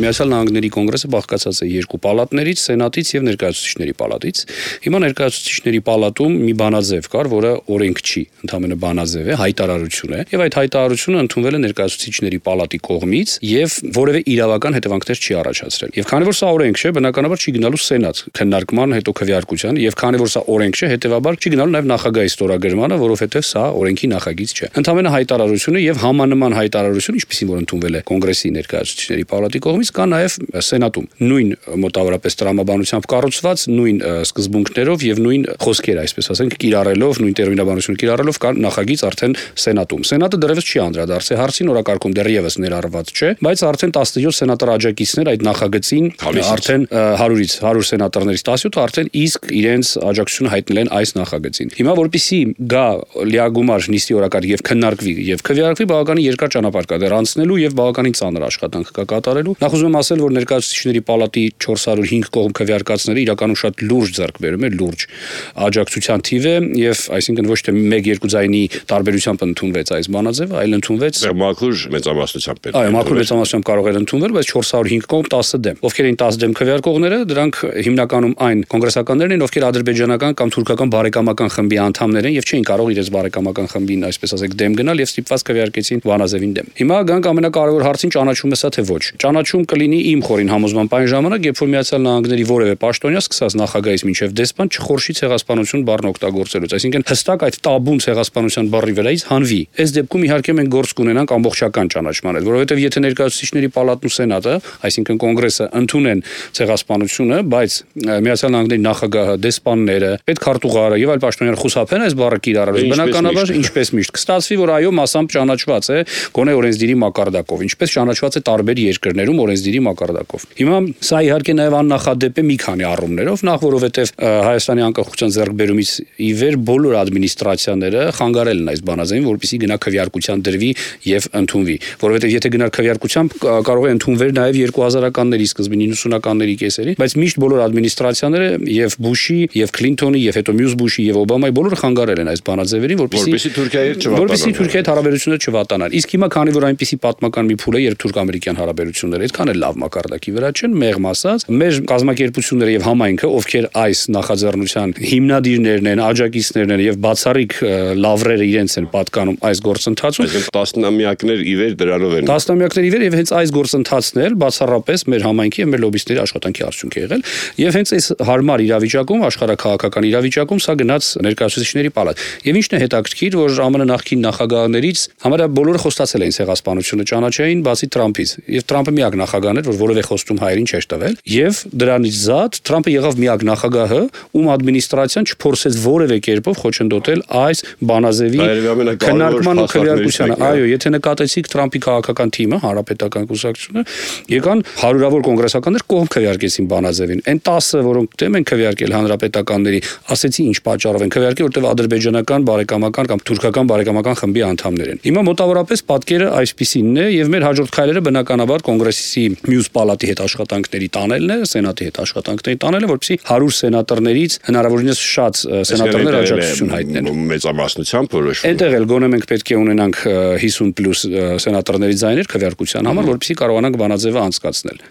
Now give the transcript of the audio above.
Միացյալ Նահանգների կոնգրեսը բաղկացած է երկու պալատներից, սենատից եւ ներկայացուցիչների պալատից։ Հիմա ներկայացուցիչների պալատում մի բանաձև կար, որը օրենք չի, ընդհանրապես բանաձև է, հայտարարություն է, եւ այդ հայտարարությունը ընդունվել է ներկայացուցիչների պալատի կողմից եւ որևէ իրավական հետևանքներ չի առաջացրել։ Եվ քանի որ սա օրենք չէ, բնականաբար չի գնալու սենատ քննարկման, հետո քվեարկության, եւ քանի որ սա օրենք չէ, հետեւաբար չի գնալու նաեւ նախագահի ստորագրմանը, որովհետեւ սա օրենքի նախագիծ չէ։ Ընդհանրապես հայտարարությունը եւ համանման հայտարարություն, ինչպեսին որ ընդունվել է կոնգրեսի ներկայացուցիչների պալատի կողմից, կա նաեւ սենատում։ Նույն մոտավորապես տրամաբանությամբ կառուցված, նույն սկզբունքներով եւ նույն խոսքեր, այսպես ասենք, կիրառելով, նույն տերմինաբանությունը կիրառելով կա նախագիծ արդեն սենատում։ Սենատը դեռևս չի անդրադարձել հարցին, օրակարգում դեռևս ներառված չէ, բայց արդեն 17 սենատոր աջակիցներ այդ նախագծին արդեն 100-ից 100 սենատորներից 17-ը արդեն իսկ իրենց աջակցությունը հայտնել են այս նախագծին։ Հիմա որպեսզի գա լիագումար նիստի օրակարգ եւ քննարկվի եւ քվեարկվի, բավականին երկար ճանապարհ կա դեռ անցնելու եւ բավականին ծանր աշխատանք կա կատարելու։ Նախ ուզում եմ ասել, որ ներկայացուցիչների պալատի 405 կողմ քվեարկածները իրականում շատ լուրջ ձեռքբերում է, լուրջ աջակցության թիվ է եւ այսինքն ոչ թե 1-2 ձայնի տարբերությամբ ընդունվեց այս բանաձևը, այլ ընդունվեց մաքուր մեծամասնությամբ պետք է։ Այո, մաքուր մեծամասնությամբ կարող էր ընդունվել, բայց 405 կողմ 10 դեմ։ Ովքեր էին 10 դեմ քվեարկողները, դրանք հիմնականում այն կոնգրեսականներն են, ովքեր ադրբեջանական կամ թուրքական բարեկամական խմբի անդամներ են եւ չէին կարող իրենց բարեկամական խմբին, այսպես ասենք, դեմ գնալ եւ ստիպված քվեարկեցին բանաձևին դեմ։ Հիմա գանք ամենակարևոր հարցին, ճանաչում է սա թե ոչ։ Ճանաչում կլինի իմ խորին համոզմամբ այն ժամանակ, երբ որ Միացյալ Նահանգների որևէ պաշտոնյա սկսած նախագահից մինչև դեսպան չխորշի ցեղասպանություն բառն օգտագործելուց, այսինքն հստակ այդ տաբուն ցեղասպանության բառի վրայից հանվի։ Այս դեպքում իհարկե մենք գործ կունենանք ամբողջական ճանաչման հետ, որովհետեւ եթե ներկայացուցիչների պալատն ու սենատը, այսինքն կոնգրեսը ընդունեն ցեղասպանությունը, բայց Միացյալ Նահանգների նախագահը, դեսպանները, պետքարտուղարը եւ այլ պաշտոնյաներ խուսափեն այս բառը կիրառելուց, բնականաբար ինչպես միշտ կստացվի, որ այո, մասամբ ճանաչված է գոնե օրենսդիրի մակարդակով, ինչպես ճանաչված է տարբեր երկրներում օրենսդիրի մակարդակով։ Հիմա սա իհարկե նաեւ աննախադեպ է մի քանի առումներով, նախ որովհետեւ Հայաստանի անկախության ձեռքբերումից ի վեր բոլոր ադմինիստրացիաները խանգարել են այս բանաձևին, որպեսզի գնա քվեարկության դրվի եւ ընդունվի, որովհետեւ եթե գնար քվեարկությամբ կարող է ընդունվել նաեւ 2000-ականների սկզբին 90-ականների կեսերին, բայց միշտ բոլոր ադմինիստրացիաները եւ Բուշի եւ Քլինթոնի եւ հետո մյուս Բուշի եւ Օբամայի բոլորը խանգարել են այս բանաձևերին, որպեսզի Թուրքիայի հետ հարաբերությունները չվատանան։ Իսկ հիմա քանի որ այնպիսի պատմական մի փուլ է, երբ թուրք-ամերիկյան հարաբերությունները այդքան էլ լավ մակարդակի վրա չեն, մեղմ ասած, մեր կազմակերպությունները եւ համայնքը, ովքեր այս նախաձեռնության հիմնադիրներն են, աջակիցներն են եւ բացառիկ լավրերը իրենց են պատկանում այս գործընթացում, տասնամյակներ ի վեր դրանով են։ Տասնամյակներ ի վեր եւ հենց այս գործընթացն էլ բացառապես մեր համայնքի եւ մեր լոբիստների աշխատանքի արդյունք է եղել եւ հենց այս հարմար իրավիճակում, աշխարհաքաղաքական իրավիճակում սա գնաց ներկայացուցիչների պալատ։ Եվ ինչն է հետաքրքիր, որ ԱՄՆ նախկին նախագահներից համարյա բոլորը խոստացել էին ցեղասպանությունը ճանաչեին, բացի Թրամփից, եւ Թրամփը միակ նախագահն էր, որ որևէ խոստում հայերին չէր տվել, եւ դրանից զատ Թրամփը եղավ միակ նախագահը, ում ադմինիստրացիան չփորձեց որևէ կերպով խոչընդոտել այս բանաձևի քննարկման ու քվեարկությանը։ Այո, եթե նկատեցիք Թրամփի քաղաքական թիմը, հանրապետական կուսակցությունը, եկան հարյուրավոր կոնգրեսականներ կողմ քվեարկեցին բանաձևին։ Այն 10-ը, որոնք դեմ են քվեարկել հանրապետականների, ասեցի ինչ պատճառով են քվեարկել, որտեղ ադրբեջանական բարեկամական կամ թուրքական բարեկամական խմբի անդամներ են։ Հիմա մոտավորապես պատկերը այսպիսինն է եւ մեր հաջորդ քայլերը բնականաբար կոնգրեսի մյուս պալատի հետ աշխատանքների տանելն է, սենատի հետ աշխատանքների տանելը, որպեսզի 100 սենատորներից հնարավորինս շատ սենատորներ աջակցություն հայտնեն։ Մեծամասնությամբ որոշվում։ Այնտեղ էլ գոնե մենք պետք է ունենանք 50+ սենատորների ձայներ քվեարկության համար, որպեսզի կարողանանք բանաձևը անցկացնել։